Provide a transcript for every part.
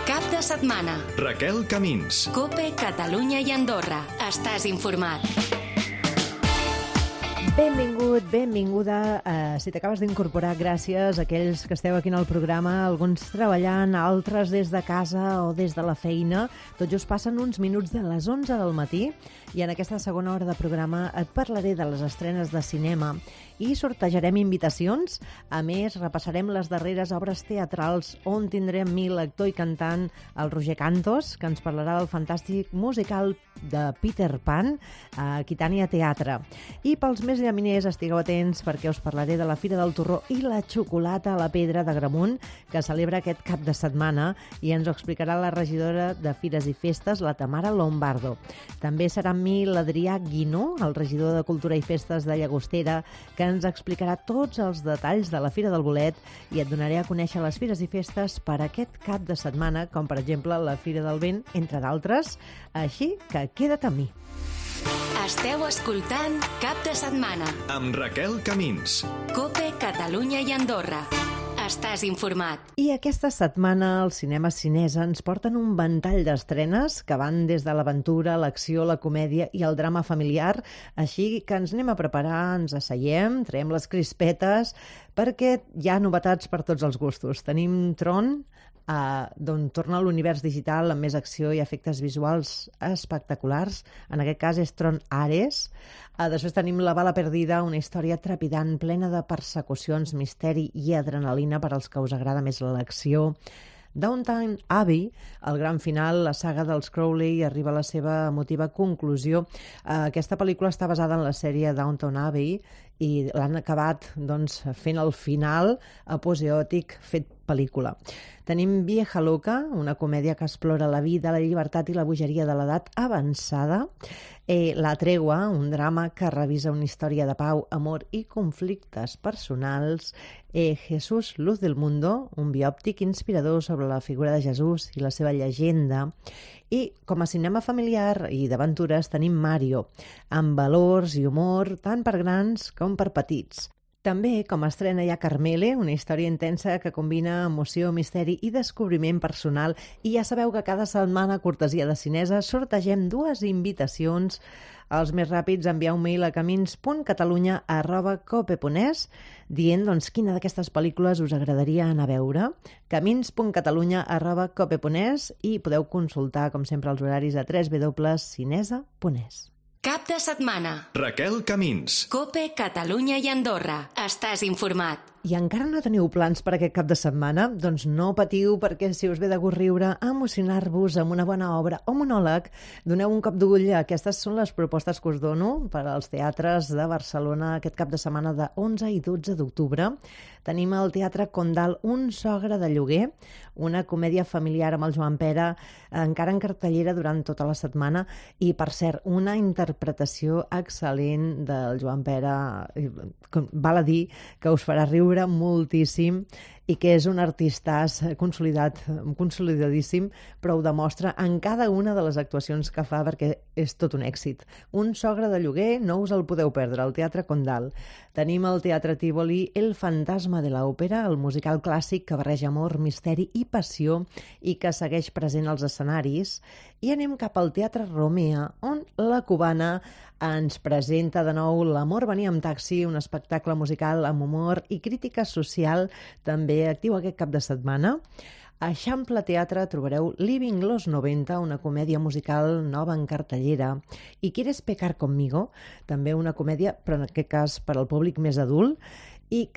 Cap de setmana. Raquel Camins. COPE, Catalunya i Andorra. Estàs informat. Benvingut, benvinguda. Si t'acabes d'incorporar, gràcies a aquells que esteu aquí en el programa, alguns treballant, altres des de casa o des de la feina. Tot just passen uns minuts de les 11 del matí i en aquesta segona hora de programa et parlaré de les estrenes de cinema i sortejarem invitacions. A més, repassarem les darreres obres teatrals on tindrem l'actor i cantant, el Roger Cantos, que ens parlarà del fantàstic musical de Peter Pan a Aquitània Teatre. I pels més llaminers, estigueu atents perquè us parlaré de la Fira del Torró i la xocolata a la pedra d'Agramunt, que celebra aquest cap de setmana, i ens ho explicarà la regidora de Fires i Festes, la Tamara Lombardo. També serà amb mi l'Adrià Guinó, el regidor de Cultura i Festes de Llagostera, que ens explicarà tots els detalls de la Fira del Bolet i et donaré a conèixer les fires i festes per aquest cap de setmana, com per exemple la Fira del Vent, entre d'altres. Així que queda't amb mi. Esteu escoltant Cap de setmana. Amb Raquel Camins. COPE, Catalunya i Andorra. Estàs informat. I aquesta setmana els cinemes Cinesa ens porten un ventall d'estrenes que van des de l'aventura, l'acció, la comèdia i el drama familiar. Així que ens anem a preparar, ens asseiem, traiem les crispetes, perquè hi ha novetats per tots els gustos. Tenim Tron, d'on torna a l'univers digital amb més acció i efectes visuals espectaculars. En aquest cas és Tron Ares. Després tenim La bala perdida, una història trepidant, plena de persecucions, misteri i adrenalina per als que us agrada més l'acció. Downton Abbey, el gran final, la saga dels Crowley, arriba a la seva emotiva conclusió. Aquesta pel·lícula està basada en la sèrie Downton Abbey i l'han acabat fent el final aposeòtic fet pel·lícula. Tenim Vieja Loca, una comèdia que explora la vida, la llibertat i la bogeria de l'edat avançada. La Tregua, un drama que revisa una història de pau, amor i conflictes personals. Jesús, Luz del Mundo, un biòptic inspirador sobre la figura de Jesús i la seva llegenda. I com a cinema familiar i d'aventures tenim Mario, amb valors i humor tant per grans com per petits. També, com a estrena, hi ha Carmele, una història intensa que combina emoció, misteri i descobriment personal. I ja sabeu que cada setmana, a cortesia de Cinesa, sortegem 2 invitacions. Els més ràpids, enviar un mail a camins.catalunya@cope.es dient quina d'aquestes pel·lícules us agradaria anar a veure. camins.catalunya@cope.es i podeu consultar, com sempre, els horaris a www.cinesa.es. Cap de setmana. Raquel Camins. COPE, Catalunya i Andorra. Estàs informat. I encara no teniu plans per aquest cap de setmana? Doncs no patiu, perquè si us ve de gust riure, emocionar-vos amb una bona obra o monòleg, doneu un cop d'ull. Aquestes són les propostes que us dono per als teatres de Barcelona aquest cap de setmana de 11 i 12 d'octubre. Tenim al Teatre Condal Un sogre de lloguer, una comèdia familiar amb el Joan Pera, encara en cartellera durant tota la setmana, i, per cert, una interpretació excel·lent del Joan Pera. Val a dir que us farà riure moltíssim i que és un artistàs consolidadíssim, però ho demostra en cada una de les actuacions que fa, perquè és tot un èxit. Un sogre de lloguer, no us el podeu perdre, al Teatre Condal. Tenim al Teatre Tívoli El fantasma de l'òpera, el musical clàssic que barreja amor, misteri i passió i que segueix present als escenaris. I anem cap al Teatre Romea, on la Cubana ens presenta de nou L'amor venia amb taxi, un espectacle musical amb humor i crítica social, també actiu aquest cap de setmana. A Eixample Teatre trobareu Living los 90, una comèdia musical nova en cartellera. I ¿Quieres pecar conmigo? També una comèdia, però en aquest cas per al públic més adult. I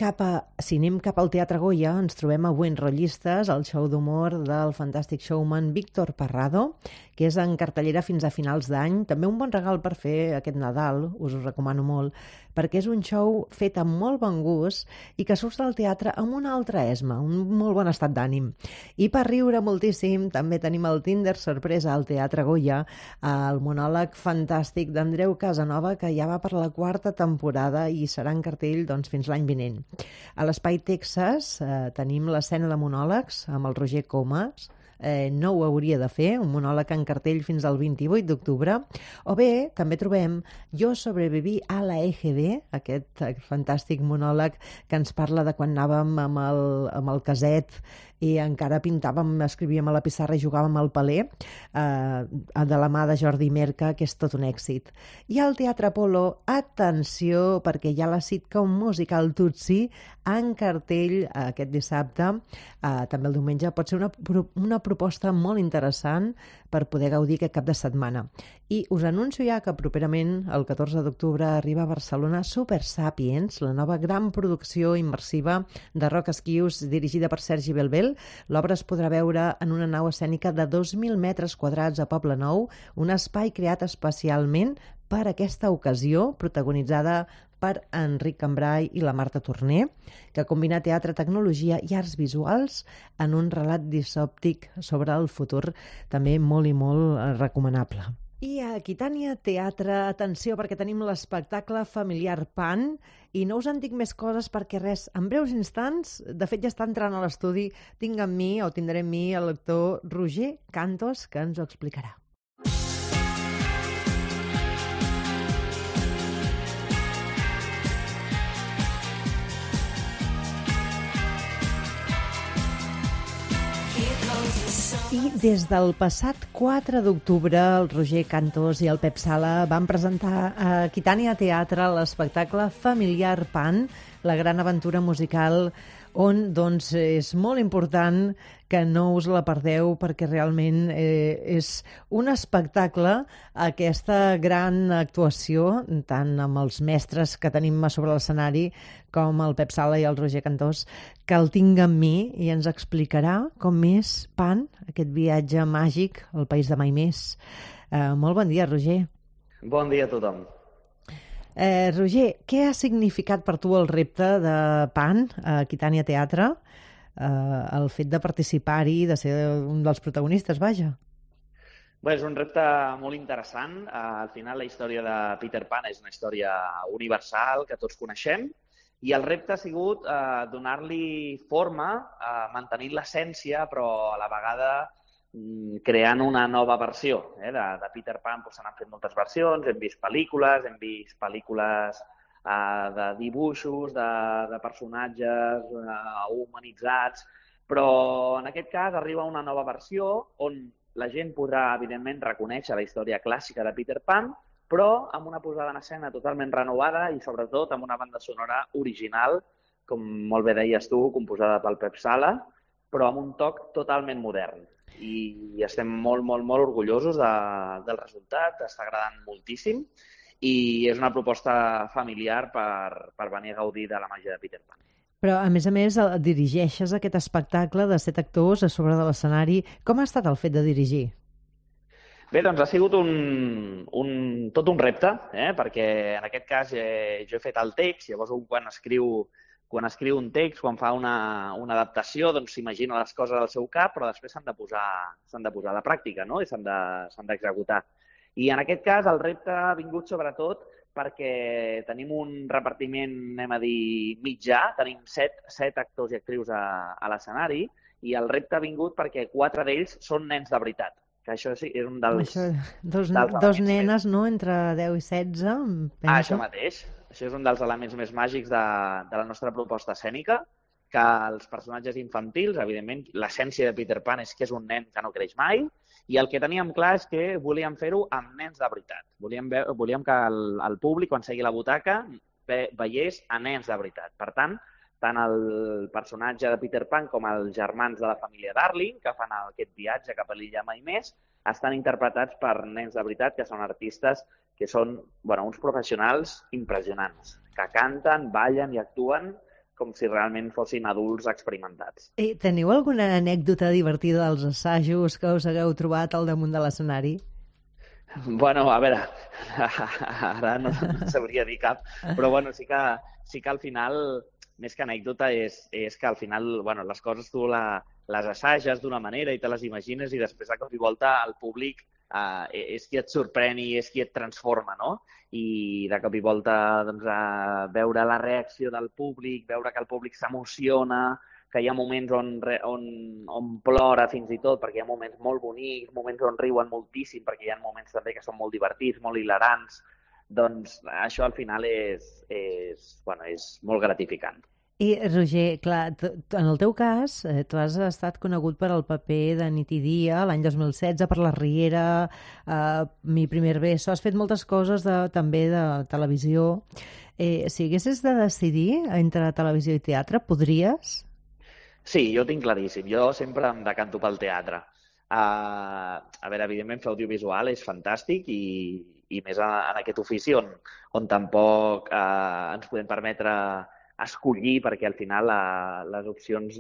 si anem cap al Teatre Goya, ens trobem a Buenrollistes, el show d'humor del fantàstic showman Víctor Parrado, que és en cartellera fins a finals d'any. També un bon regal per fer aquest Nadal, us ho recomano molt, perquè és un show fet amb molt bon gust i que surts del teatre amb una altra esma, un molt bon estat d'ànim. I per riure moltíssim també tenim el Tinder sorpresa al Teatre Goya, el monòleg fantàstic d'Andreu Casanova, que ja va per la 4ª temporada i serà en cartell fins l'any vinent. A l'Espai Texas tenim l'escena de monòlegs amb el Roger Comas, no ho hauria de fer, un monòleg en cartell fins al 28 d'octubre, o bé també trobem Jo sobreviví a la EGB, aquest fantàstic monòleg que ens parla de quan anàvem amb el caset i encara pintàvem, escrivíem a la pissarra i jugàvem al paler, de la mà de Jordi Merca, que és tot un èxit. I al Teatre Apolo, atenció, perquè hi ha la sitcom musical Tutsi en cartell aquest dissabte, també el diumenge. Pot ser una proposta molt interessant per poder gaudir aquest cap de setmana. I us anuncio ja que properament, el 14 d'octubre, arriba a Barcelona Super Sapiens, la nova gran producció immersiva de Roc Esquius, dirigida per Sergi Belbel. L'obra es podrà veure en una nau escènica de 2.000 metres quadrats a Poble Nou, un espai creat especialment per aquesta ocasió, protagonitzada per Enric Cambrai i la Marta Torner, que combina teatre, tecnologia i arts visuals en un relat disòptic sobre el futur, també molt i molt recomanable. I a Aquitània Teatre, atenció, perquè tenim l'espectacle familiar Pan, i no us en dic més coses perquè res, en breus instants, de fet ja està entrant a l'estudi, tindré amb mi el lector Roger Cantos, que ens ho explicarà. I des del passat 4 d'octubre, el Roger Cantos i el Pep Sala van presentar a Aquitània Teatre l'espectacle familiar Pan, la gran aventura musical, on doncs, és molt important que no us la perdeu perquè realment és un espectacle, aquesta gran actuació, tant amb els mestres que tenim a sobre l'escenari com el Pep Sala i el Roger Cantós, que el tinc amb mi i ens explicarà com és Pan, aquest viatge màgic al país de mai més. Molt bon dia, Roger. Bon dia a tothom. Roger, què ha significat per tu el repte de Pan a Aquitània Teatre? El fet de participar-hi, de ser un dels protagonistes, vaja. Bé, és un repte molt interessant. Al final la història de Peter Pan és una història universal que tots coneixem i el repte ha sigut donar-li forma, mantenint l'essència, però a la vegada creant una nova versió de Peter Pan. Se n'han fet moltes versions, hem vist pel·lícules de dibuixos, de personatges humanitzats, però en aquest cas arriba una nova versió on la gent podrà, evidentment, reconèixer la història clàssica de Peter Pan, però amb una posada en escena totalment renovada i, sobretot, amb una banda sonora original, com molt bé deies tu, composada pel Pep Sala, però amb un toc totalment modern. I estem molt, molt, molt orgullosos del resultat, està agradant moltíssim i és una proposta familiar per venir a gaudir de la màgia de Peter Pan. Però, a més, dirigeixes aquest espectacle de 7 actors a sobre de l'escenari. Com ha estat el fet de dirigir? Bé, doncs ha sigut tot un repte, perquè en aquest cas jo he fet el text, llavors quan escriu un text, quan fa una adaptació, doncs s'imagina les coses al seu cap, però després s'han de posar a la pràctica, no? I s'han d'executar. I en aquest cas el repte ha vingut sobretot perquè tenim un repartiment, anem a dir, mitjà, tenim 7 actors i actrius a l'escenari, i el repte ha vingut perquè 4 d'ells són nens de veritat. Que això sí, és un dels... Dos nenes, no?, entre 10 i 16, penso. Això mateix. Això és un dels elements més màgics de la nostra proposta escènica, que els personatges infantils, evidentment, l'essència de Peter Pan és que és un nen que no creix mai, i el que teníem clar és que volíem fer-ho amb nens de veritat. Volíem que el públic, quan segui la butaca, veiés a nens de veritat. Per tant el personatge de Peter Pan com els germans de la família Darling, que fan aquest viatge cap a l'illa Mai Més, estan interpretats per nens de veritat, que són artistes que són uns professionals impressionants, que canten, ballen i actuen com si realment fossin adults experimentats. Teniu alguna anècdota divertida dels assajos que us hagueu trobat al damunt de l'escenari? Bueno, a veure, ara no sabria dir cap, però sí que al final, més que anècdota, és que al final les coses tu les assages d'una manera i te les imagines i després de cop i volta el públic és qui et sorprèn i és qui et transforma, no? I de cop i volta veure la reacció del públic, veure que el públic s'emociona, que hi ha moments on plora fins i tot, perquè hi ha moments molt bonics, moments on riuen moltíssim, perquè hi ha moments també que són molt divertits, molt hilarants. Doncs això al final és molt gratificant. I, Roger, clar, en el teu cas, tu has estat conegut per al paper de Nit i Dia l'any 2016, per La Riera, Mi primer beso. Has fet moltes coses també de televisió. Si haguessis de decidir entre televisió i teatre, podries? Sí, jo tinc claríssim. Jo sempre em decanto pel teatre. A veure, evidentment, fer audiovisual és fantàstic i més en aquest ofici on tampoc ens podem permetre escollir, perquè al final les opcions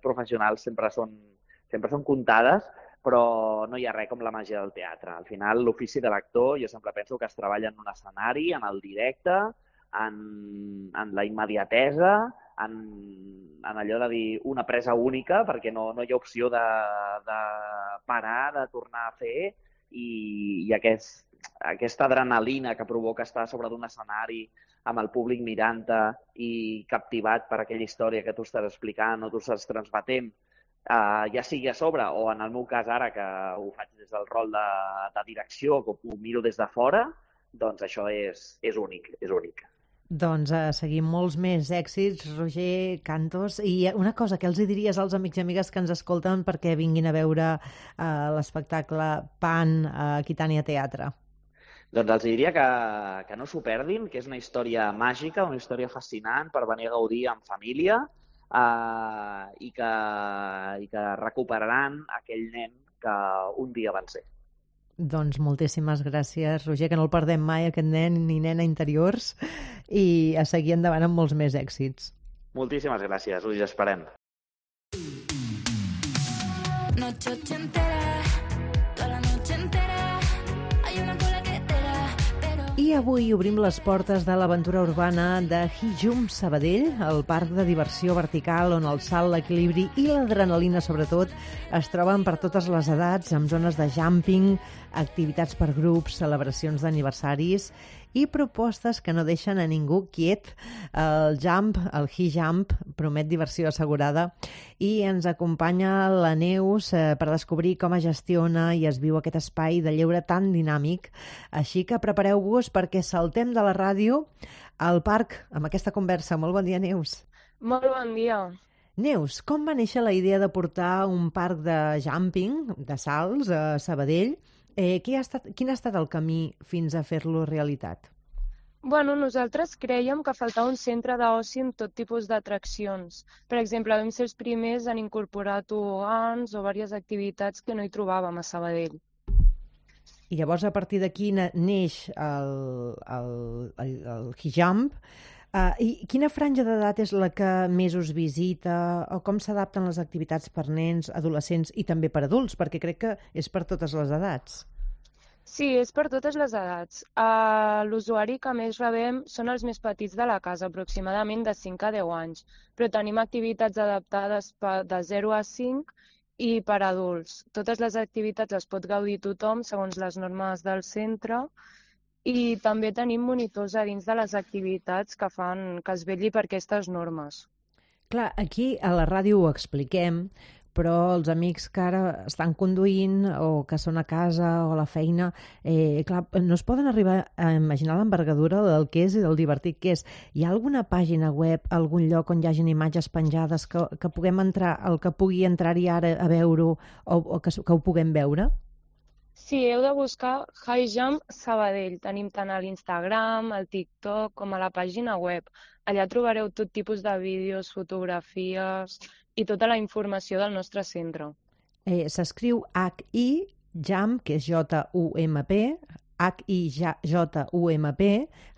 professionals sempre són comptades, però no hi ha res com la màgia del teatre. Al final, l'ofici de l'actor, jo sempre penso que es treballa en un escenari, en el directe, en la immediatesa, en allò de dir una presa única, perquè no hi ha opció de parar, de tornar a fer, i aquesta adrenalina que provoca estar a sobre d'un escenari amb el públic mirant-te i captivat per aquella història que tu estàs explicant o tu estàs transmetent, ja sigui a sobre o en el meu cas ara que ho faig des del rol de direcció, que ho miro des de fora, doncs això és únic, és únic. Doncs seguim molts més èxits, Roger Cantos. I una cosa, què els diries als amics i amigues que ens escolten perquè vinguin a veure l'espectacle Pan a Aquitània Teatre? Doncs els diria que no s'ho perdin, que és una història màgica, una història fascinant per venir a gaudir en família i que recuperaran aquell nen que un dia van ser. Doncs moltíssimes gràcies, Roger, que no el perdem mai, aquest nen ni nena interiors, i a seguir endavant amb molts més èxits. Moltíssimes gràcies, us esperem. Noche ochentera, toda la noche entera, hay una cola que te da, pero... I avui obrim les portes de l'aventura urbana de Hijum Sabadell, el parc de diversió vertical on el salt, l'equilibri i l'adrenalina, sobretot, es troben per totes les edats, amb zones de jumping, activitats per grups, celebracions d'aniversaris i propostes que no deixen a ningú quiet. El Hijump, promet diversió assegurada, i ens acompanya la Neus per descobrir com es gestiona i es viu aquest espai de lleure tan dinàmic. Així que prepareu-vos perquè saltem de la ràdio al parc amb aquesta conversa. Molt bon dia, Neus. Molt bon dia. Neus, com va néixer la idea de portar un parc de jumping, de salts, a Sabadell? Quin ha estat el camí fins a fer-lo realitat? Bueno, nosaltres crèiem que faltava un centre d'oci amb tot tipus d'atraccions. Per exemple, vam ser els primers en incorporar tobogans o diverses activitats que no hi trobàvem a Sabadell. I llavors, a partir d'aquí neix el Hijump. I quina franja d'edat és la que més us visita? O com s'adapten les activitats per nens, adolescents i també per adults? Perquè crec que és per totes les edats. Sí, és per totes les edats. L'usuari que més rebem són els més petits de la casa, aproximadament de 5 a 10 anys. Però tenim activitats adaptades de 0 a 5 i per adults. Totes les activitats les pot gaudir tothom segons les normes del centre. I també tenim monitors a dins de les activitats que fan que es vetlli per aquestes normes. Clar, aquí a la ràdio ho expliquem, però els amics que ara estan conduint o que són a casa o a la feina, clar, no es poden arribar a imaginar l'envergadura del que és i del divertit que és. Hi ha alguna pàgina web, algun lloc on hi hagin imatges penjades que puguem entrar, el que pugui entrar-hi ara a veure-ho o que ho puguem veure? Sí, heu de buscar Hijump Sabadell. Tenim tant a l'Instagram, al TikTok, com a la pàgina web. Allà trobareu tot tipus de vídeos, fotografies i tota la informació del nostre centre. S'escriu H-I-Jump, que és J-U-M-P, H-I-J-U-M-P,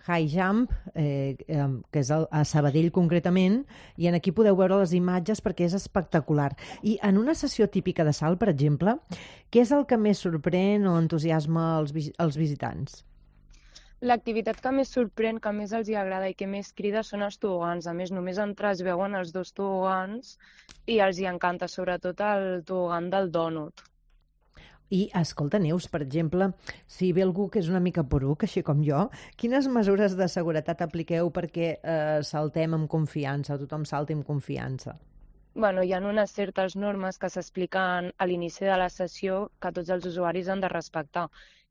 Hijump, que és a Sabadell concretament, i aquí podeu veure les imatges perquè és espectacular. I en una sessió típica de salt, per exemple, què és el que més sorprèn o entusiasma els visitants? L'activitat que més sorprèn, que més els agrada i que més crida són els tobogans. A més, només entrar es veuen els 2 tobogans i els hi encanta, sobretot el tobogan del dònut. I, escolta, Neus, per exemple, si ve algú que és una mica poruc, així com jo, quines mesures de seguretat apliqueu perquè saltem amb confiança, tothom salti amb confiança? Bueno, hi ha unes certes normes que s'expliquen a l'inici de la sessió que tots els usuaris han de respectar.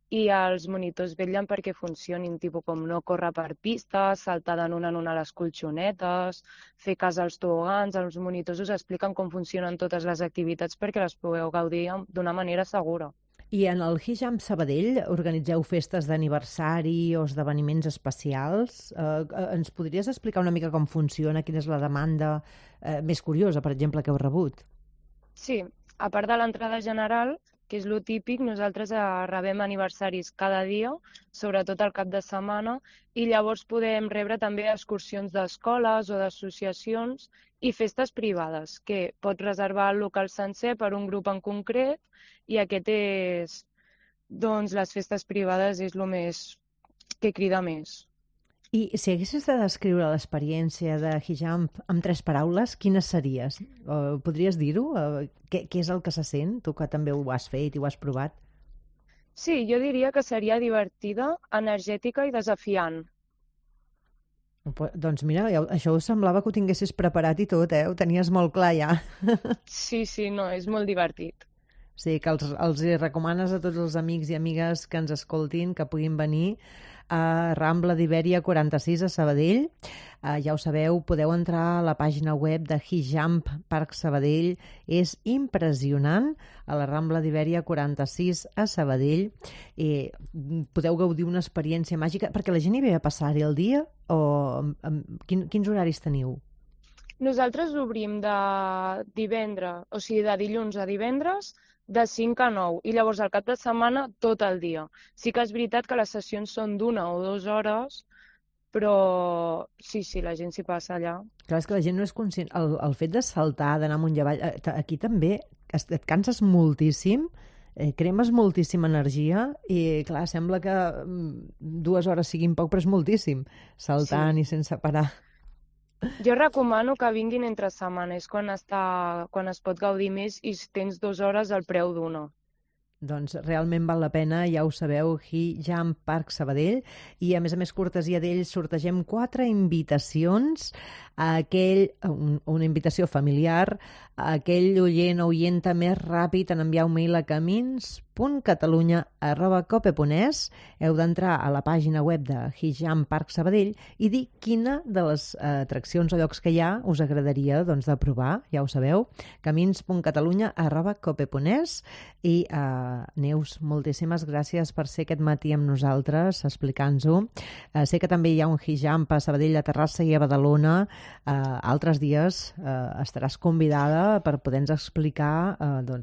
I els monitors vetllen perquè funcionin, tipus com no córrer per pistes, saltar de en una les colxonetes, fer cas als tobogans. Els monitors us expliquen com funcionen totes les activitats perquè les pugueu gaudir d'una manera segura. I en el Hijamp Sabadell organitzeu festes d'aniversari o esdeveniments especials. Ens podries explicar una mica com funciona, quina és la demanda més curiosa, per exemple, que heu rebut? Sí, a part de l'entrada general, que és lo típic, nosaltres rebem aniversaris cada dia, sobretot al cap de setmana, i llavors podem rebre també excursions d'escoles o d'associacions i festes privades, que pots reservar el local sencer per un grup en concret, i aquest és, doncs, les festes privades és el més que crida més. I si haguessis de descriure l'experiència de Hijamp amb 3 paraules, quines series? Podries dir-ho? Què és el que se sent? Tu que també ho has fet i ho has provat. Sí, jo diria que seria divertida, energètica i desafiant. Doncs mira, això us semblava que ho tinguessis preparat i tot, Ho tenies molt clar ja. Sí, no, és molt divertit. Sí, que els recomanes a tots els amics i amigues que ens escoltin que puguin venir a Rambla d'Ibèria 46 a Sabadell. Ja ho sabeu, podeu entrar a la pàgina web de Hijamp Parc Sabadell. És impressionant, a la Rambla d'Ibèria 46 a Sabadell. Podeu gaudir una experiència màgica, perquè la gent hi ve a passar-hi el dia, o quins horaris teniu? Nosaltres obrim de divendres, o sigui, de dilluns a divendres, de 5 a 9, i llavors al cap de setmana tot el dia. Sí que és veritat que les sessions són d'1 o 2 hores, però sí, la gent s'hi passa allà. Clar, és que la gent no és conscient. El fet de saltar, d'anar amunt i avall, aquí també et canses moltíssim, cremes moltíssima energia i, clar, sembla que 2 hores siguin poc, però és moltíssim, saltant i sense parar. Jo recomano que vinguin entre setmana, és quan es pot gaudir més i tens 2 hores al preu d'1. Doncs realment val la pena, ja ho sabeu, Hijamp Parc Sabadell, i a més cortesia d'ells sortegem 4 invitacions a una invitació familiar, a aquell oient o oienta més ràpid en enviar un mail a camins.catalunya@cope.es. Heu d'entrar a la pàgina web de Hijamp Parc Sabadell i dir quina de les atraccions o llocs que hi ha us agradaria de provar, ja ho sabeu, camins.catalunya@cope.es. I Neus, moltíssimes gràcies per ser aquest matí amb nosaltres explicant-nos-ho. Sé que també hi ha un Hijamp a Sabadell, a Terrassa i a Badalona. Altres dies estaràs convidada per poder-nos explicar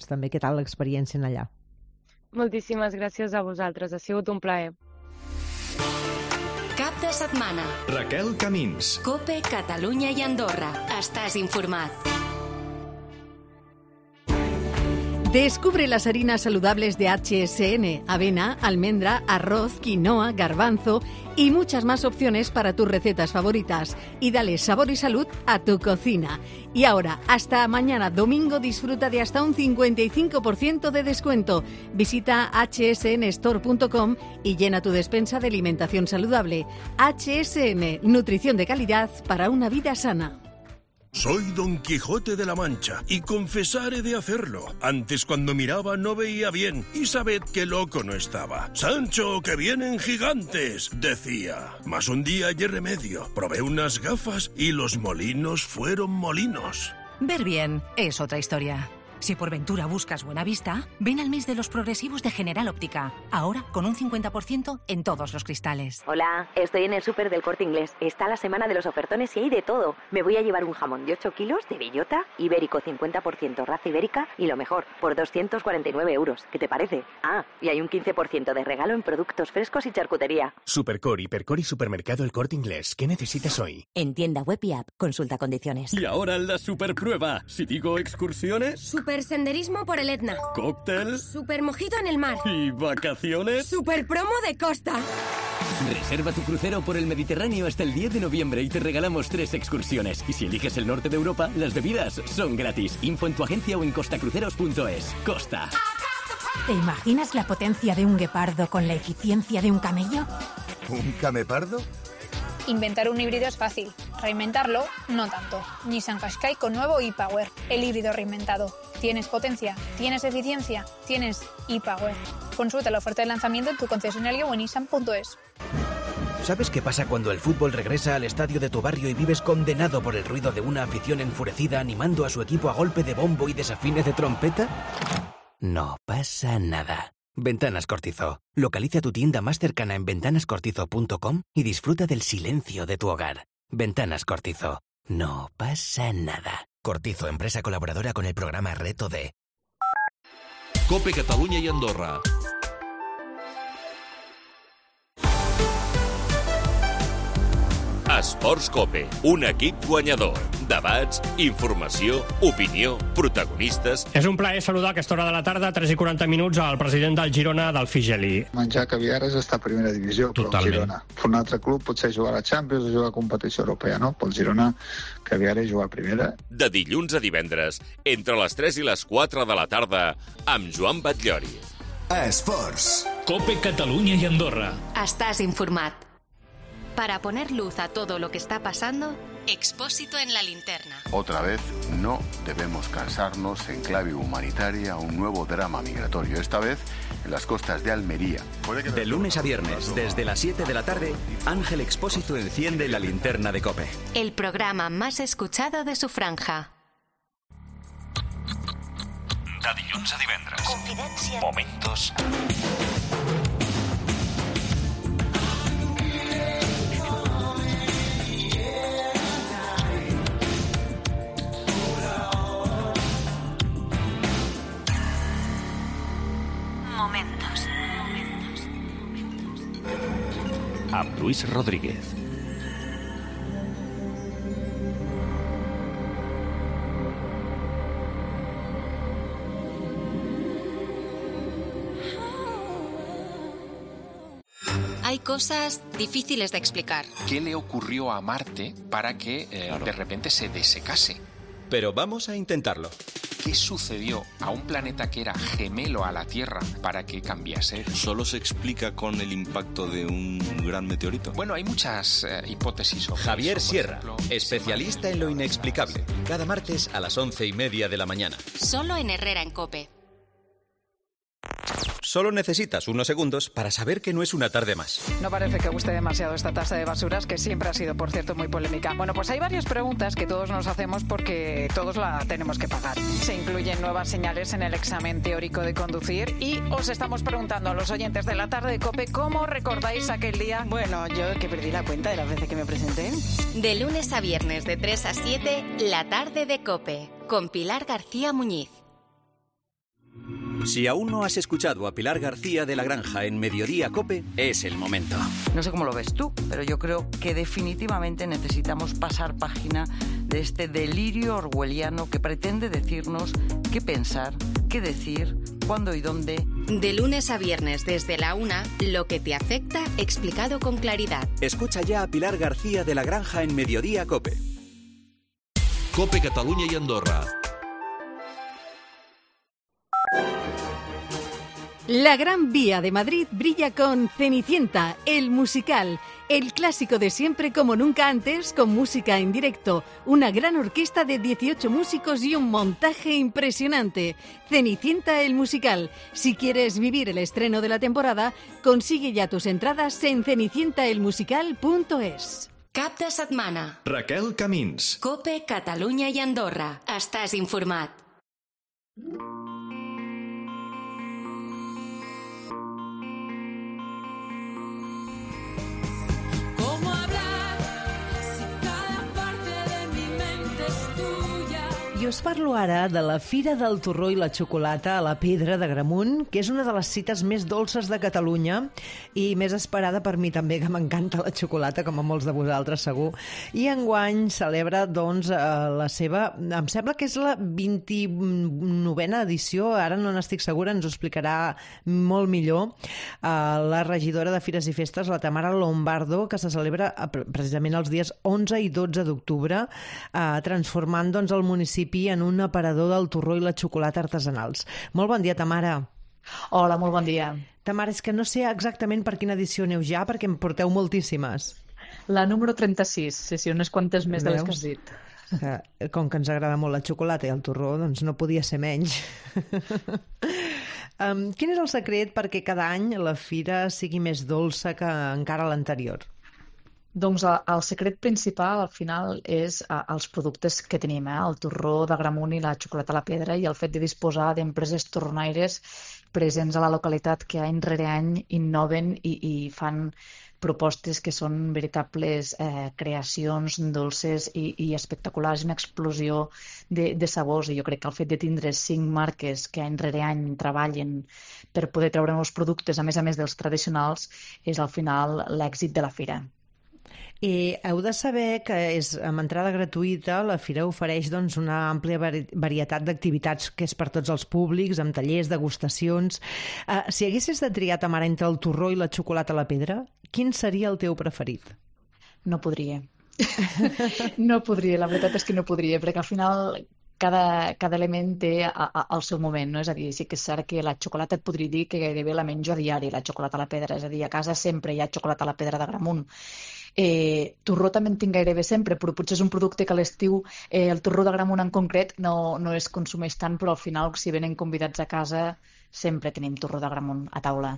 també què tal l'experiència en allà. Moltíssimes gràcies a vosaltres, ha sigut un plaer. Cap de setmana. Raquel Camins. COPE, Catalunya i Andorra. Estàs informat. Descubre las harinas saludables de HSN, avena, almendra, arroz, quinoa, garbanzo y muchas más opciones para tus recetas favoritas. Y dale sabor y salud a tu cocina. Y ahora, hasta mañana domingo, disfruta de hasta un 55% de descuento. Visita hsnstore.com y llena tu despensa de alimentación saludable. HSN, nutrición de calidad para una vida sana. Soy Don Quijote de la Mancha y confesaré de hacerlo. Antes, cuando miraba, no veía bien y sabed qué loco no estaba. Sancho, que vienen gigantes, decía. Mas un día hallé remedio. Probé unas gafas y los molinos fueron molinos. Ver bien es otra historia. Si por ventura buscas buena vista, ven al mes de los progresivos de General Óptica. Ahora con un 50% en todos los cristales. Hola, estoy en el súper del Corte Inglés. Está la semana de los ofertones y hay de todo. Me voy a llevar un jamón de 8 kilos de bellota, ibérico 50% raza ibérica y lo mejor, por 249 euros. ¿Qué te parece? Ah, y hay un 15% de regalo en productos frescos y charcutería. Supercor, Hipercor y Supermercado El Corte Inglés. ¿Qué necesitas hoy? En tienda web y app. Consulta condiciones. Y ahora la superprueba. Si digo excursiones... Super senderismo por el Etna. Cóctel. Super mojito en el mar. ¿Y vacaciones? Super promo de costa. Reserva tu crucero por el Mediterráneo hasta el 10 de noviembre y te regalamos 3 excursiones. Y si eliges el norte de Europa, las bebidas son gratis. Info en tu agencia o en costacruceros.es. Costa. ¿Te imaginas la potencia de un guepardo con la eficiencia de un camello? ¿Un camepardo? Inventar un híbrido es fácil. reinventarlo, no tanto. Nissan Qashqai con nuevo e-Power, el híbrido reinventado. ¿Tienes potencia? ¿Tienes eficiencia? ¿Tienes e-Power? Consulta la oferta de lanzamiento en tu concesionario o en nissan.es. ¿Sabes qué pasa cuando el fútbol regresa al estadio de tu barrio y vives condenado por el ruido de una afición enfurecida animando a su equipo a golpe de bombo y desafines de trompeta? No pasa nada. Ventanas Cortizo. Localiza tu tienda más cercana en ventanascortizo.com y disfruta del silencio de tu hogar. Ventanas Cortizo. No pasa nada. Cortizo, empresa colaboradora con el programa Reto D. COPE Catalunya i Andorra. Esports COPE, un equip guanyador. Debats, informació, opinió, protagonistes... És un plaer saludar a aquesta hora de la tarda, 3:40 minuts, al president del Girona, Delfí Geli. Menjar caviar és estar a primera divisió, però el Girona. Un altre club potser jugar a la Champions o jugar a competició europea, no? Pel Girona, caviar és jugar a primera. De dilluns a divendres, entre les 3 i les 4 de la tarda, amb Joan Batllori. Esports. COPE Catalunya i Andorra. Estás informat. Para poner luz a todo lo que está pasando, Expósito en la linterna. Otra vez, no debemos cansarnos en clave humanitaria un nuevo drama migratorio, esta vez en las costas de Almería. De lunes a viernes, desde las 7 de la tarde, Ángel Expósito enciende la linterna de COPE. El programa más escuchado de su franja. De dilluns a divendres. Confidència. Momentos. Amb Luis Rodríguez. Hay cosas difíciles de explicar. ¿Qué le ocurrió a Marte para que de repente se desecase? Pero vamos a intentarlo. ¿Qué sucedió a un planeta que era gemelo a la Tierra para que cambiase? ¿Solo se explica con el impacto de un gran meteorito? Bueno, hay muchas hipótesis sobre Javier eso. Sierra, especialista en lo inexplicable. Cada martes a las 11:30 de la mañana. Solo en Herrera en COPE. Solo necesitas unos segundos para saber que no es una tarde más. No parece que guste demasiado esta tasa de basuras, que siempre ha sido, por cierto, muy polémica. Bueno, pues hay varias preguntas que todos nos hacemos porque todos la tenemos que pagar. Se incluyen nuevas señales en el examen teórico de conducir y os estamos preguntando a los oyentes de la tarde de COPE cómo recordáis aquel día. Bueno, yo que perdí la cuenta de las veces que me presenté. De lunes a viernes de 3 a 7, la tarde de COPE, con Pilar García Muñiz. Si aún no has escuchado a Pilar García de la Granja en Mediodía COPE, es el momento. No sé cómo lo ves tú, pero yo creo que definitivamente necesitamos pasar página de este delirio orwelliano que pretende decirnos qué pensar, qué decir, cuándo y dónde. De lunes a viernes desde la 1, lo que te afecta explicado con claridad. Escucha ya a Pilar García de la Granja en Mediodía COPE. COPE Catalunya i Andorra. La Gran Vía de Madrid brilla con Cenicienta, el musical, el clásico de siempre como nunca antes, con música en directo, una gran orquesta de 18 músicos y un montaje impresionante. Cenicienta, el musical. Si quieres vivir el estreno de la temporada, consigue ya tus entradas en cenicientaelmusical.es. Cap de setmana. Raquel Camins. COPE Catalunya i Andorra. Estàs informat. I us parlo ara de la Fira del Torró i la Xocolata a la Pedra d'Agramunt, que és una de les cites més dolces de Catalunya i més esperada per mi també, que m'encanta la xocolata, com a molts de vosaltres segur. I enguany celebra doncs la seva, em sembla que és la 29a edició, ara no n'estic segura, ens ho explicarà molt millor la regidora de Fires i Festes, la Tamara Lombardo, que se celebra precisament els dies 11 i 12 d'octubre, transformant doncs el municipi en un aparador del torró i la xocolata artesanals. Molt bon dia, Tamara. Hola, molt bon dia. Tamara, és que no sé exactament per quina edició aneu ja, perquè em porteu moltíssimes. La número 36, sí, unes quantes més de les que has dit. Com que ens agrada molt la xocolata i el torró, doncs no podia ser menys. Quin és el secret perquè cada any la fira sigui més dolça que encara l'anterior? Doncs el secret principal, al final, és els productes que tenim, el torró d'Agramunt i la xocolata a la pedra, i el fet de disposar d'empreses torronaires presents a la localitat que any rere any innoven i fan propostes que són veritables creacions dolces i espectaculars, una explosió de sabors. I jo crec que el fet de tindre 5 marques que any rere any treballen per poder treure nous productes, a més dels tradicionals, és al final l'èxit de la fira. I heu de saber que és amb entrada gratuïta, la fira ofereix doncs, una àmplia varietat d'activitats que és per tots els públics, amb tallers, degustacions. Si haguessis de triar, Tamara, entre el torró i la xocolata a la pedra, quin seria el teu preferit? No podria. No podria, la veritat és que no podria, perquè al final cada element té el seu moment, no? És a dir, sí que és cert que la xocolata et podria dir que gairebé la menjo a diari, la xocolata a la pedra, és a dir, a casa sempre hi ha xocolata a la pedra d'Agramunt. Torró també en tinc gairebé sempre, però potser és un producte que a l'estiu el torró d'Agramunt en concret no es consumeix tant, però al final, si venen convidats a casa, sempre tenim torró d'Agramunt a taula.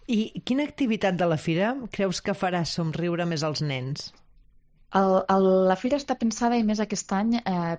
I quina activitat de la fira creus que farà somriure més als nens? La fira està pensada, i més aquest any,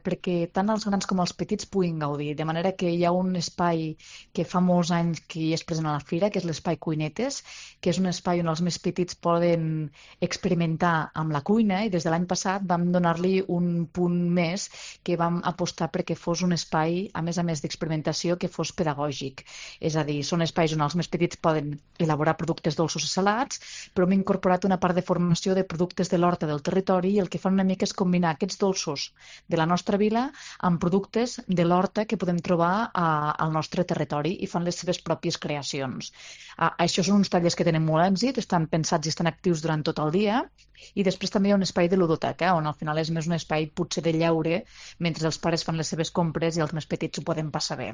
perquè tant els grans com els petits puguin gaudir, de manera que hi ha un espai que fa molts anys que hi és present a la fira, que és l'espai Cuinetes, que és un espai on els més petits poden experimentar amb la cuina, i des de l'any passat vam donar-li un punt més, que vam apostar perquè fos un espai, a més d'experimentació, que fos pedagògic. És a dir, són espais on els més petits poden elaborar productes dolços i salats, però hem incorporat una part de formació de productes de l'horta del territori, i el que fan una mica és combinar aquests dolços de la nostra vila amb productes de l'horta que podem trobar al nostre territori, i fan les seves pròpies creacions. Això són uns tallers que tenen molt èxit, estan pensats i estan actius durant tot el dia, i després també hi ha un espai de ludoteca, on al final és més un espai potser de lleure, mentre els pares fan les seves compres i els més petits ho poden passar bé.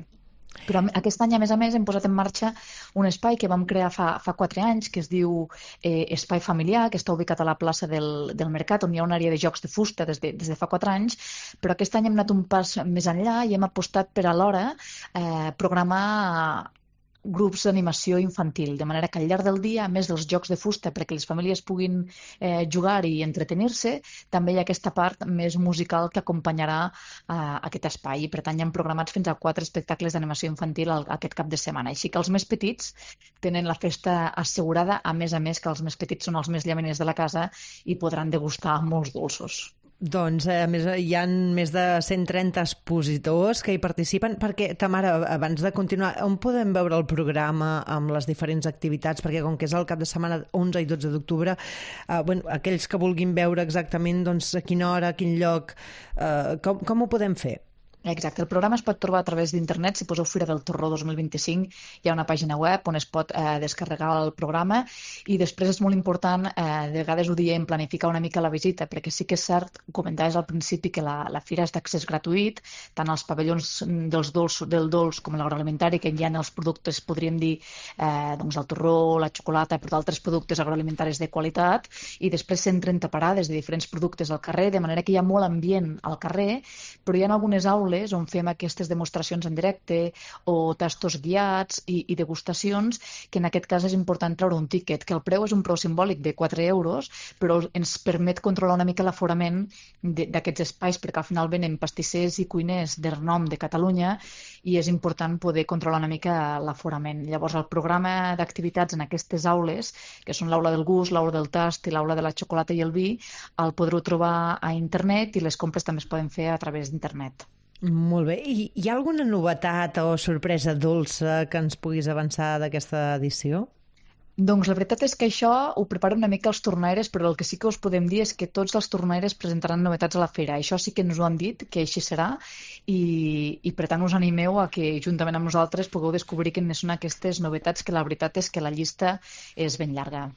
Però aquest any, a més, hem posat en marxa un espai que vam crear fa 4 anys, que es diu Espai Familiar, que està ubicat a la plaça del Mercat, on hi ha una àrea de jocs de fusta des de fa 4 anys, però aquest any hem anat un pas més enllà i hem apostat per alhora programar grups d'animació infantil, de manera que al llarg del dia, a més dels jocs de fusta perquè les famílies puguin jugar i entretenir-se, també hi ha aquesta part més musical que acompanyarà aquest espai, i per tant hi ha programats fins a 4 espectacles d'animació infantil aquest cap de setmana, així que els més petits tenen la festa assegurada, a més que els més petits són els més llaminers de la casa i podran degustar molts dolços. Doncs, a més, hi ha més de 130 expositors que hi participen, perquè, Tamara, abans de continuar, on podem veure el programa amb les diferents activitats? Perquè com que és el cap de setmana 11 i 12 d'octubre, aquells que vulguin veure exactament doncs, a quina hora, a quin lloc, com ho podem fer? Exacte, el programa es pot trobar a través d'internet. Si poseu Fira del Torró 2025 hi ha una pàgina web on es pot descarregar el programa, i després és molt important, de vegades ho diem, planificar una mica la visita, perquè sí que és cert, comentaves al principi, que la fira és d'accés gratuït, tant als pavellons del dolç com l'agroalimentari, que hi ha els productes, podríem dir, doncs el torró, la xocolata, però d'altres productes agroalimentaris de qualitat, i després 130 parades de diferents productes al carrer, de manera que hi ha molt ambient al carrer, però hi ha algunes aules on fem aquestes demostracions en directe o tastos guiats i degustacions, que en aquest cas és important treure un tíquet, que el preu és un preu simbòlic de 4 euros, però ens permet controlar una mica l'aforament d'aquests espais, perquè al final venen pastissers i cuiners de renom de Catalunya i és important poder controlar una mica l'aforament. Llavors, el programa d'activitats en aquestes aules, que són l'aula del gust, l'aula del tast i l'aula de la xocolata i el vi, el podreu trobar a internet, i les compres també es poden fer a través d'internet. Molt bé. I hi ha alguna novetat o sorpresa dolça que ens puguis avançar d'aquesta edició? Doncs la veritat és que això ho preparen una mica els tornaires, però el que sí que us podem dir és que tots els tornaires presentaran novetats a la fira. Això sí que ens ho han dit, que així serà, i per tant us animeu a que juntament amb nosaltres pugueu descobrir quines són aquestes novetats, que la veritat és que la llista és ben llarga.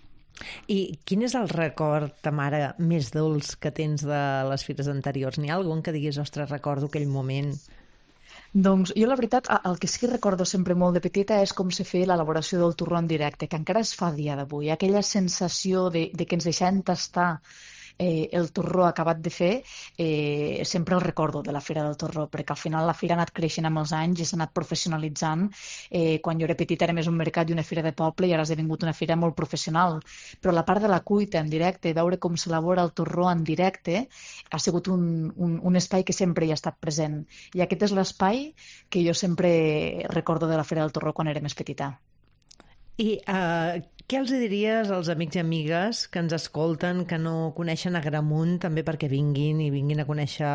I quin és el record, Tamara, més dolç que tens de les fires anteriors? N'hi ha algun que diguis, ostres, recordo aquell moment? Doncs jo la veritat, el que sí que recordo sempre molt de petita és com se feia l'elaboració del torró en directe, que encara es fa a dia d'avui. Aquella sensació de que ens deixaven tastar el torró acabat de fer, sempre el recordo de la Fira del Torró, perquè al final la fira ha anat creixent amb els anys i s'ha anat professionalitzant. Quan jo era petita era més un mercat i una fira de poble i ara ha esdevingut una fira molt professional. Però la part de la cuita en directe, veure com s'elabora el torró en directe, ha sigut un espai que sempre hi ha estat present. I aquest és l'espai que jo sempre recordo de la Fira del Torró quan era més petita. I què els diries als amics i amigues que ens escolten, que no coneixen Agramunt, també perquè vinguin a conèixer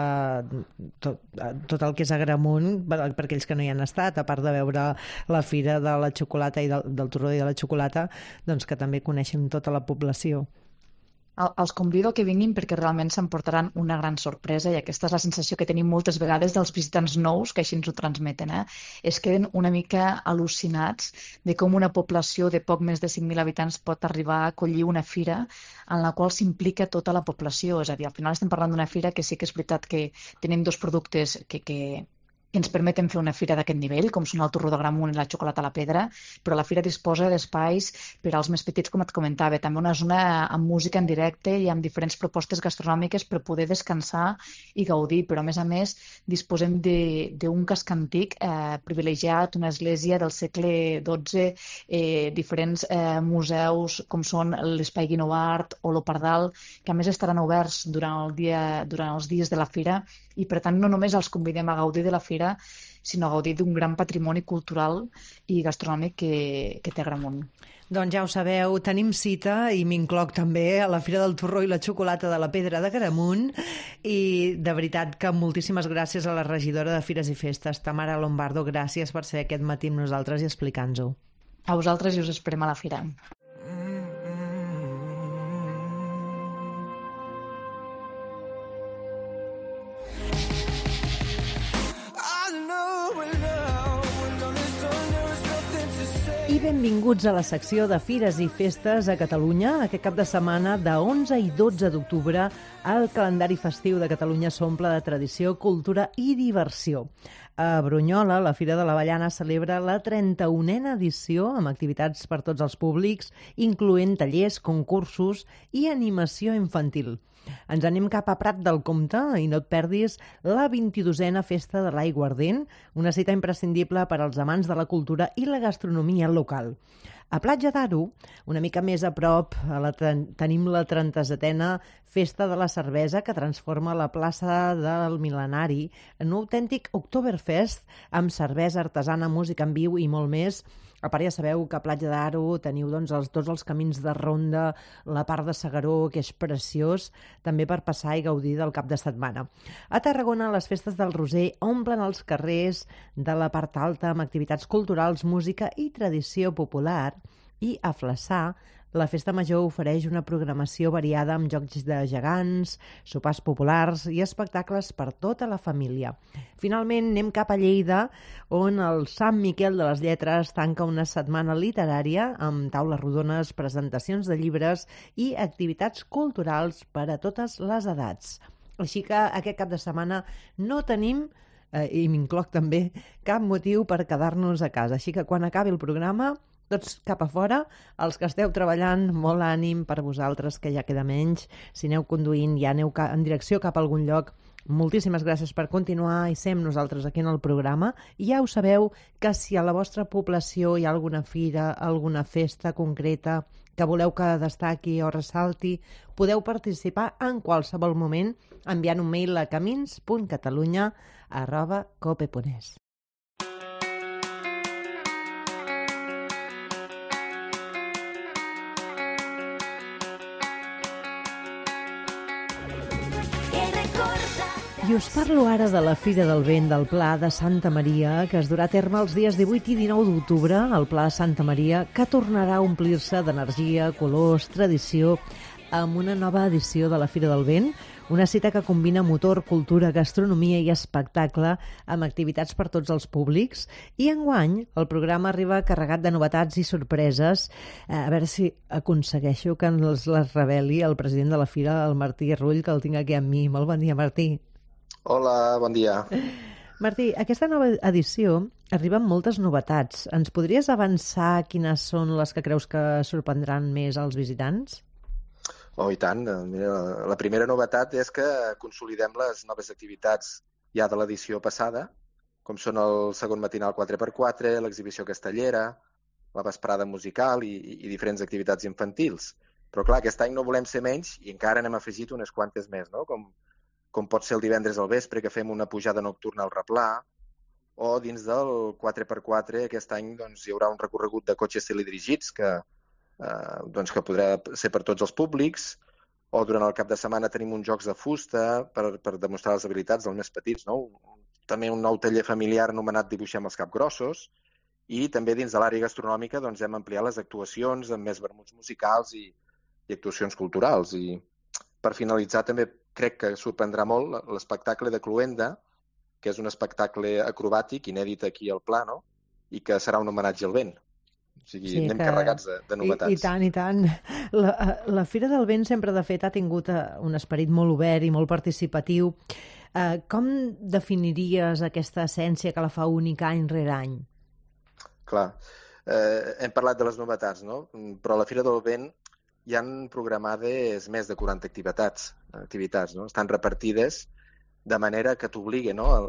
tot el que és Agramunt, per aquells que no hi han estat, a part de veure la Fira de la Xocolata i del Torró i de la Xocolata, doncs que també coneixen tota la població? Els convido a que vinguin perquè realment s'emportaran una gran sorpresa i aquesta és la sensació que tenim moltes vegades dels visitants nous, que així ens ho transmeten. Es queden una mica al·lucinats de com una població de poc més de 5.000 habitants pot arribar a acollir una fira en la qual s'implica tota la població. És a dir, al final estem parlant d'una fira que sí que és veritat que tenim dos productes que ens permeten fer una fira d'aquest nivell, com són el torró d'Agramunt i la xocolata a la pedra, però la fira disposa d'espais per als més petits, com et comentava, també una zona amb música en directe i amb diferents propostes gastronòmiques per poder descansar i gaudir, però a més disposem d'un casc antic privilegiat, una església del segle XII, diferents museus com són l'Espai Guinovart o l'Opardal, que a més estaran oberts durant els dies de la fira i per tant no només els convidem a gaudir de la fira, sinó a gaudir d'un gran patrimoni cultural i gastronòmic que té Agramunt. Doncs ja ho sabeu, tenim cita, i m'incloc també, a la Fira del Torró i la Xocolata de la Pedra d'Agramunt, i de veritat que moltíssimes gràcies a la regidora de Fires i Festes, Tamara Lombardo, gràcies per ser aquest matí amb nosaltres i explicar-nos-ho. A vosaltres i us esperem a la fira. I benvinguts a la secció de Fires i Festes a Catalunya. Aquest cap de setmana, de 11 i 12 d'octubre, el calendari festiu de Catalunya s'omple de tradició, cultura i diversió. A Brunyola, la Fira de l'Avellana celebra la 31a edició amb activitats per tots els públics, incloent tallers, concursos i animació infantil. Ens anem cap a Prat del Comte i no et perdis la 22a Festa de l'Aiguardent, una cita imprescindible per als amants de la cultura i la gastronomia local. A Platja d'Aro, una mica més a prop, tenim la 37a Festa de la Cervesa, que transforma la plaça del Mil·lenari en un autèntic Oktoberfest amb cervesa artesana, música en viu i molt més. A part, ja sabeu que a Platja d'Aro teniu tots els camins de ronda, la part de S'Agaró, que és preciós, també per passar i gaudir del cap de setmana. A Tarragona, les festes del Roser omplen els carrers de la part alta amb activitats culturals, música i tradició popular. I a Flaçà, la Festa Major ofereix una programació variada amb jocs de gegants, sopars populars i espectacles per tota la família. Finalment, anem cap a Lleida, on el Sant Miquel de les Lletres tanca una setmana literària amb taules rodones, presentacions de llibres i activitats culturals per a totes les edats. Així que aquest cap de setmana no tenim, i m'incloc també, cap motiu per quedar-nos a casa. Així que quan acabi el programa, tots cap a fora, els que esteu treballant, molt ànim per vosaltres, que ja queda menys. Si aneu conduint, ja aneu en direcció cap a algun lloc. Moltíssimes gràcies per continuar i ser amb nosaltres aquí en el programa. I ja ho sabeu que si a la vostra població hi ha alguna fira, alguna festa concreta que voleu que destaqui o ressalti, podeu participar en qualsevol moment enviant un mail a camins.catalunya@cope.es. I us parlo ara de la Fira del Vent del Pla de Santa Maria, que es durà a terme els dies 18 i 19 d'octubre al Pla de Santa Maria, que tornarà a omplir-se d'energia, colors, tradició, amb una nova edició de la Fira del Vent, una cita que combina motor, cultura, gastronomia i espectacle amb activitats per tots els públics. I enguany el programa arriba carregat de novetats i sorpreses. A veure si aconsegueixo que ens les reveli el president de la Fira, el Martí Rull, que el tinc aquí amb mi. Molt bon dia, Martí. Hola, bon dia. Martí, aquesta nova edició arriba amb moltes novetats. Ens podries avançar quines són les que creus que sorprendran més als visitants? Oh, i tant. Mira, la primera novetat és que consolidem les noves activitats ja de l'edició passada, com són el segon matinal 4x4, l'exhibició castellera, la vesprada musical i diferents activitats infantils. Però clar, aquest any no volem ser menys i encara n'hem afegit unes quantes més, no? Com pot ser el divendres al vespre, que fem una pujada nocturna al replà, o dins del 4x4 aquest any doncs, hi haurà un recorregut de cotxes teledirigits que podrà ser per tots els públics, o durant el cap de setmana tenim uns jocs de fusta per demostrar les habilitats dels més petits, no? També un nou taller familiar anomenat Dibuixem els capgrossos, i també dins de l'àrea gastronòmica doncs, hem ampliat les actuacions amb més vermuts musicals i actuacions culturals. I per finalitzar també crec que sorprendrà molt l'espectacle de Cluenda, que és un espectacle acrobàtic, inèdit aquí al Pla, no? I que serà un homenatge al vent. O sigui, anem carregats de novetats. I tant, i tant. La Fira del Vent sempre, de fet, ha tingut un esperit molt obert i molt participatiu. Com definiries aquesta essència que la fa única any rere any? Clar, hem parlat de les novetats, no? Però a la Fira del Vent hi han programades més de 40 activitats, no? Estan repartides de manera que t'obliguen, no?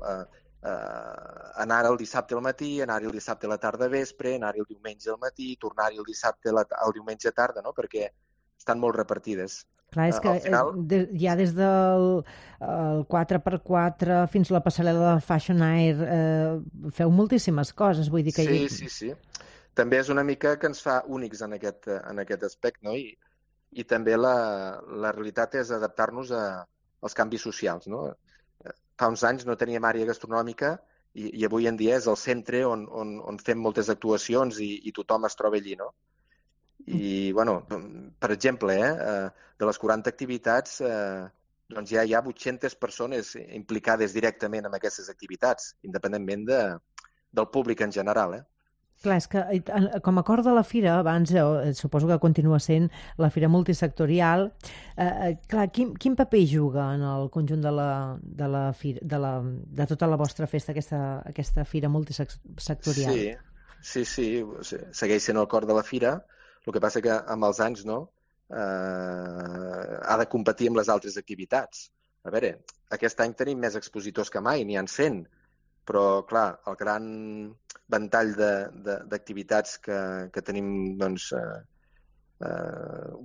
Anar el dissabte al matí, anar-hi el dissabte a la tarda vespre, anar-hi el diumenge al matí, tornar-hi el dissabte al diumenge a tarda, no? Perquè estan molt repartides. Clar, és que ja des del 4x4 fins a la passarel·la del Fashion Air feu moltíssimes coses, vull dir que... Sí. També és una mica que ens fa únics en aquest aspecte, no? I també la realitat és adaptar-nos als canvis socials, no? Fa uns anys no teníem àrea gastronòmica i avui en dia és el centre on fem moltes actuacions i tothom es troba allí, no? I, bueno, per exemple, de les 40 activitats, doncs ja hi ha 800 persones implicades directament en aquestes activitats, independentment del públic en general, Clar, és que com a cor de la fira, abans suposo que continua sent la fira multisectorial, clar, quin paper juga en el conjunt de tota la vostra festa aquesta fira multisectorial? Sí, segueix sent el cor de la fira, el que passa que amb els anys ha de competir amb les altres activitats. A veure, aquest any tenim més expositors que mai, n'hi ha 100, però, clar, el gran ventall d'activitats que tenim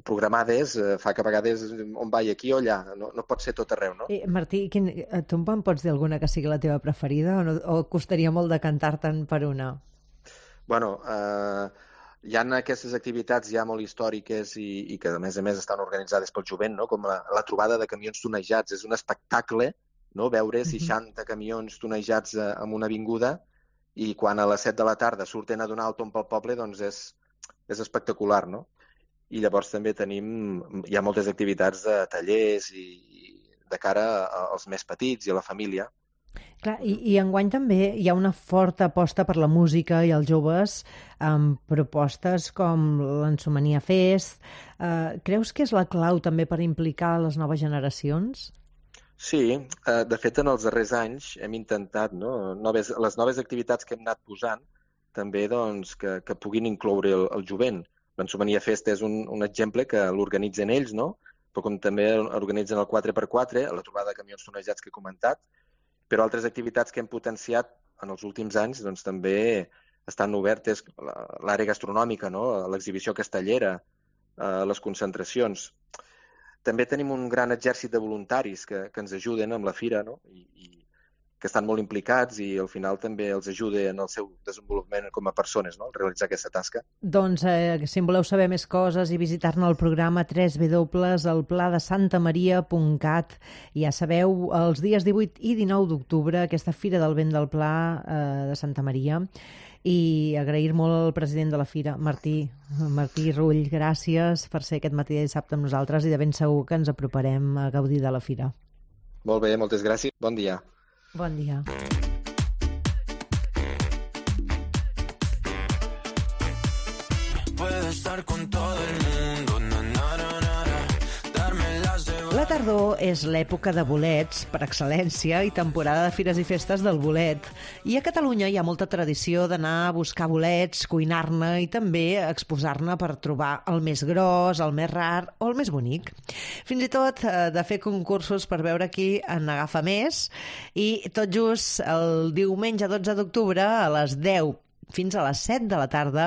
programades fa que a vegades on vaig aquí o allà, no pot ser tot arreu, no? Martí, tu em pots dir alguna que sigui la teva preferida o costaria molt decantar-te'n per una? Bueno, hi ha aquestes activitats ja molt històriques i que a més estan organitzades pel jovent, no? Com la trobada de camions tonejats. És un espectacle, no? Veure 60 camions tonejats en una avinguda i quan a les 7 de la tarda surten a donar el tomb pel poble, doncs és espectacular, no? I llavors també hi ha moltes activitats de tallers i de cara als més petits i a la família. Clar, i enguany també hi ha una forta aposta per la música i els joves amb propostes com l'Ensomania Fest. Creus que és la clau també per implicar les noves generacions? Sí, de fet en els darrers anys hem intentat, no? Les noves activitats que hem anat posant també doncs, que puguin incloure el jovent. L'Ensomania Fest és un exemple que l'organitzen ells, no? Però com també organitzen el 4x4, la trobada de camions tonejats que he comentat, però altres activitats que hem potenciat en els últims anys doncs, també estan obertes, l'àrea gastronòmica, no? L'exhibició castellera, les concentracions. També tenim un gran exèrcit de voluntaris que ens ajuden amb la fira, no? I que estan molt implicats i al final també els ajuda en el seu desenvolupament com a persones, no? Realitzar aquesta tasca. Doncs si en voleu saber més coses i visitar-ne el programa www.elpladesantamaria.cat. Ja sabeu, els dies 18 i 19 d'octubre, aquesta Fira del Vent del Pla de Santa Maria. I agrair molt al president de la fira, Martí Rull, gràcies per ser aquest matí de dissabte amb nosaltres i de ben segur que ens aproparem a gaudir de la fira. Molt bé, moltes gràcies. Bon dia. Bon dia. tardor és l'època de bolets per excel·lència i temporada de fires i festes del bolet. I a Catalunya hi ha molta tradició d'anar a buscar bolets, cuinar-ne i també exposar-ne per trobar el més gros, el més rar o el més bonic. Fins i tot de fer concursos per veure qui en agafa més. I tot just el diumenge 12 d'octubre a les 10 fins a les 7 de la tarda,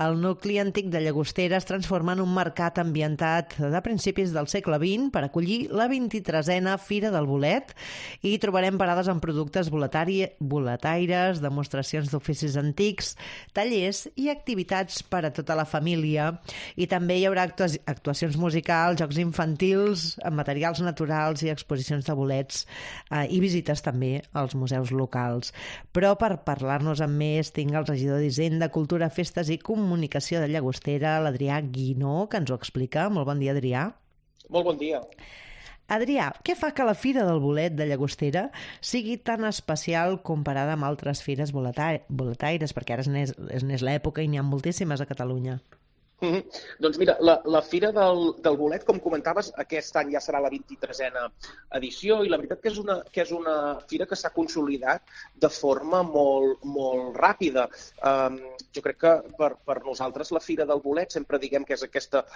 el nucli antic de Llagostera es transforma en un mercat ambientat de principis del segle XX per acollir la 23a Fira del Bolet i trobarem parades amb productes boletaires, demostracions d'oficis antics, tallers i activitats per a tota la família. I també hi haurà actuacions musicals, jocs infantils, materials naturals i exposicions de bolets i visites també als museus locals. Però per parlar-nos amb més tinc el regidor d'Hisenda, Cultura, Festes i Comunicació de Llagostera, l'Adrià Guinó, que ens ho explica. Molt bon dia, Adrià. Molt bon dia. Adrià, què fa que la Fira del Bolet de Llagostera sigui tan especial comparada amb altres fires boletaires? Perquè ara és l'època i n'hi ha moltíssimes a Catalunya. Doncs mira, la Fira del Bolet, com comentaves, aquest any ja serà la 23a edició i la veritat que és una fira que s'ha consolidat de forma molt ràpida. Jo crec que per nosaltres la Fira del Bolet sempre diguem que és aquesta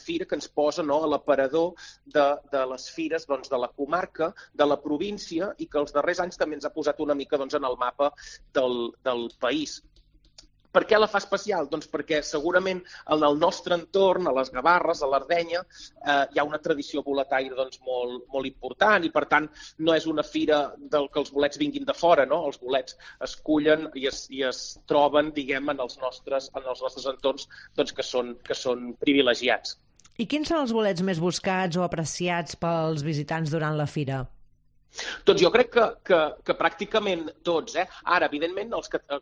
fira que ens posa a l'aparador de les fires de la comarca, de la província i que els darrers anys també ens ha posat una mica en el mapa del país. Per què la fa especial? Doncs perquè segurament en el nostre entorn, a les Gavarres, a l'Ardenya, hi ha una tradició boletaire molt important i, per tant, no és una fira del que els bolets vinguin de fora, no? Els bolets es cullen i es troben, diguem, en els nostres entorns que són privilegiats. I quins són els bolets més buscats o apreciats pels visitants durant la fira? Doncs jo crec que pràcticament tots. Ara, evidentment,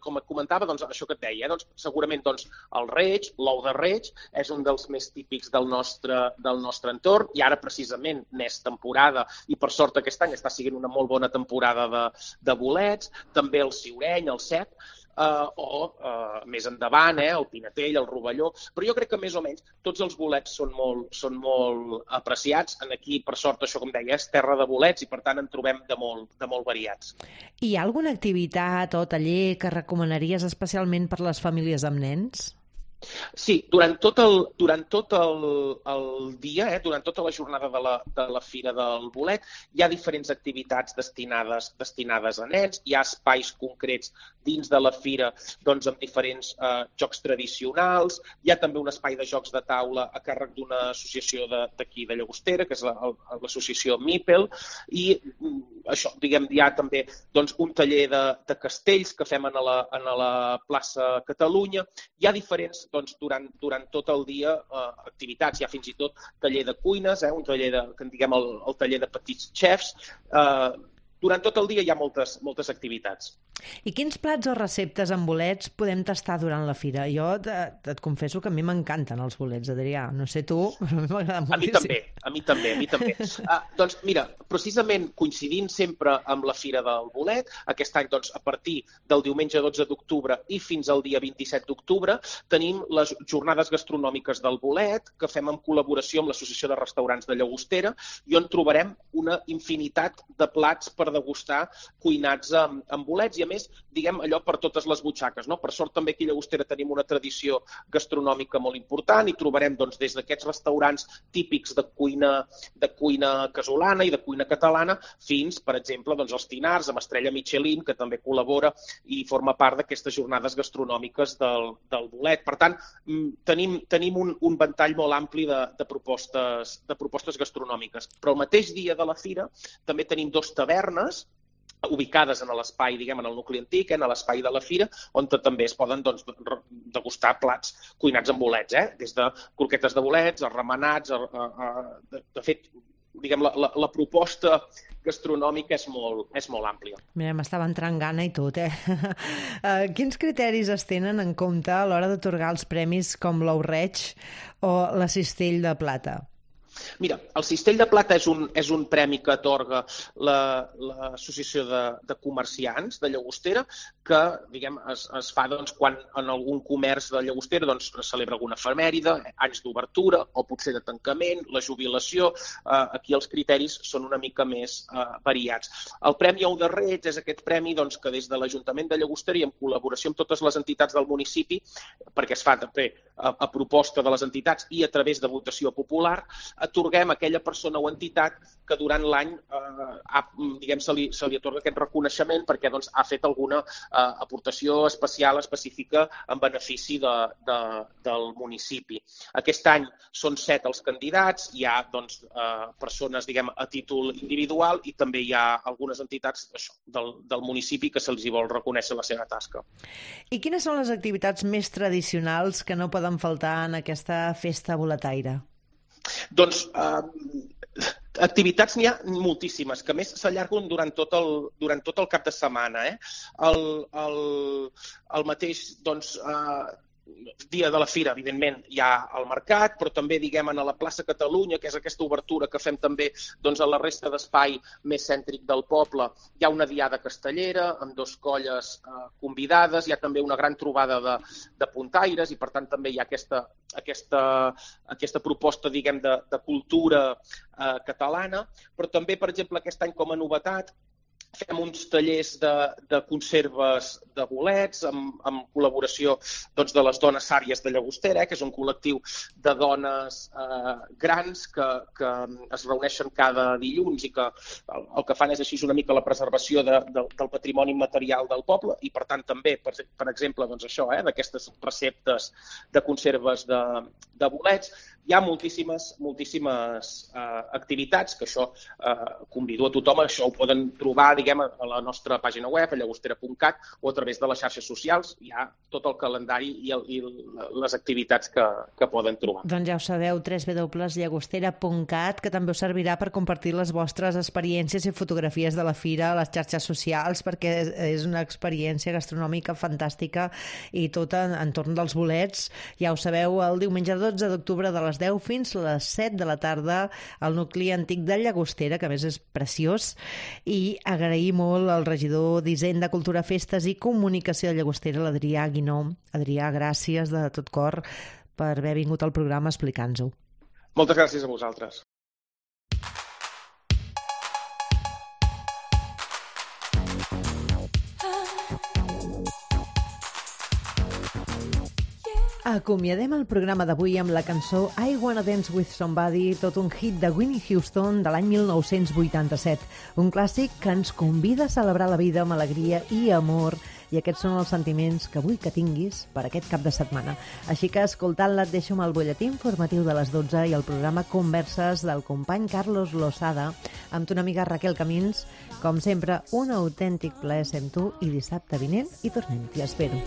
com et comentava, això que et deia, segurament el reig, l'ou de reig, és un dels més típics del nostre entorn i ara precisament n'és temporada i per sort aquest any està sent una molt bona temporada de bolets, també el ciureny, el cep, més endavant, el pinatell, el rovelló, però jo crec que més o menys tots els bolets són molt apreciats. Aquí, per sort, això com deia, és terra de bolets i per tant en trobem de molt variats. Hi ha alguna activitat o taller que recomanaries especialment per les famílies amb nens? Sí, durant tot el dia, durant tota la jornada de la Fira del Bolet, hi ha diferents activitats destinades a nens, hi ha espais concrets dins de la fira amb diferents jocs tradicionals, hi ha també un espai de jocs de taula a càrrec d'una associació d'aquí de Llagostera, que és l'associació Mipel, i això, diguem, hi ha també un taller de castells que fem a la plaça Catalunya, hi ha diferents durant tot el dia activitats, hi ha fins i tot taller de cuines, un taller que en diguem el taller de petits xefs. Durant tot el dia hi ha moltes activitats. I quins plats o receptes amb bolets podem tastar durant la fira? Jo et confesso que a mi m'encanten els bolets, Adrià. No sé tu, però a mi m'agrada moltíssim. A mi també. Doncs mira, precisament coincidint sempre amb la Fira del Bolet, aquest any a partir del diumenge 12 d'octubre i fins al dia 27 d'octubre tenim les jornades gastronòmiques del bolet que fem en col·laboració amb l'Associació de Restaurants de Llagostera i on trobarem una infinitat de plats per degustar cuinats amb bolets i a més, diguem, allò per totes les butxaques, no? Per sort també aquí a Llagostera tenim una tradició gastronòmica molt important i trobarem des d'aquests restaurants típics de cuina casolana i de cuina catalana fins, per exemple, els Tinars amb estrella Michelin, que també col·labora i forma part d'aquestes jornades gastronòmiques del bolet. Per tant, tenim un ventall molt ampli de propostes gastronòmiques. Però el mateix dia de la fira també tenim 2 tavernes ubicades en l'espai, diguem, en el nucli antic, en l'espai de la fira, on també es poden degustar plats cuinats amb bolets, des de croquetes de bolets, remenats, de fet, diguem, la proposta gastronòmica és molt àmplia. Mira, m'estava entrant gana i tot, Quins criteris es tenen en compte a l'hora d'atorgar els premis com l'ou reig o la cistell de plata? Mira, el Cistell de Plata és un premi que atorga l'Associació de Comerciants de Llagostera, que diguem, es fa quan en algun comerç de Llagostera celebra alguna efemèride, anys d'obertura o potser de tancament, la jubilació. Aquí els criteris són una mica més variats. El Premi Ou de Reig és aquest premi que des de l'Ajuntament de Llagostera i en col·laboració amb totes les entitats del municipi, perquè es fa també a proposta de les entitats i a través de votació popular, atorguem a aquella persona o entitat que durant l'any se li atorga aquest reconeixement perquè ha fet alguna aportació especial, específica, en benefici del municipi. Aquest any són 7 els candidats, hi ha persones a títol individual i també hi ha algunes entitats del municipi que se'ls vol reconèixer la seva tasca. I quines són les activitats més tradicionals que no poden faltar en aquesta festa boletaire? Doncs activitats n'hi ha moltíssimes, que a més s'allarguen durant tot el cap de setmana. El mateix dia de la fira, evidentment, hi ha el mercat, però també, a la plaça Catalunya, que és aquesta obertura que fem també a la resta d'espai més cèntric del poble, hi ha una diada castellera amb 2 colles convidades, hi ha també una gran trobada de puntaires i, per tant, també hi ha aquesta proposta, de cultura catalana, però també, per exemple, aquest any com a novetat, fem uns tallers de conserves de bolets amb col·laboració de les dones sàries de Llagostera, que és un col·lectiu de dones grans que es reuneixen cada dilluns i que el que fan és així una mica la preservació del patrimoni immaterial del poble i, per tant, també, per exemple, d'aquestes receptes de conserves de bolets. Hi ha moltíssimes activitats, que això convido a tothom, això ho poden trobar a la nostra pàgina web, a llagostera.cat, o a través de les xarxes socials. Hi ha tot el calendari i les activitats que poden trobar. Doncs ja ho sabeu, www.llagostera.cat, que també us servirà per compartir les vostres experiències i fotografies de la fira a les xarxes socials, perquè és una experiència gastronòmica fantàstica i tot entorn dels bolets. Ja ho sabeu, el diumenge 12 d'octubre de les 10 fins a les 7 de la tarda al nucli antic de Llagostera, que a més és preciós, i agrair molt al regidor d'Hisenda, Cultura, Festes i Comunicació de Llagostera, l'Adrià Guinó. Adrià, gràcies de tot cor per haver vingut al programa a explicar-nos-ho. Moltes gràcies a vosaltres. Acomiadem el programa d'avui amb la cançó I Wanna Dance With Somebody, tot un hit de Whitney Houston de l'any 1987. Un clàssic que ens convida a celebrar la vida amb alegria i amor, i aquests són els sentiments que vull que tinguis per aquest cap de setmana. Així que, escoltant-la, et deixo amb el butlletí informatiu de les 12 i el programa Converses del company Carlos Losada, amb tu una amiga Raquel Camins. Com sempre, un autèntic plaer ser amb tu, i dissabte vinent hi tornem. T'hi espero.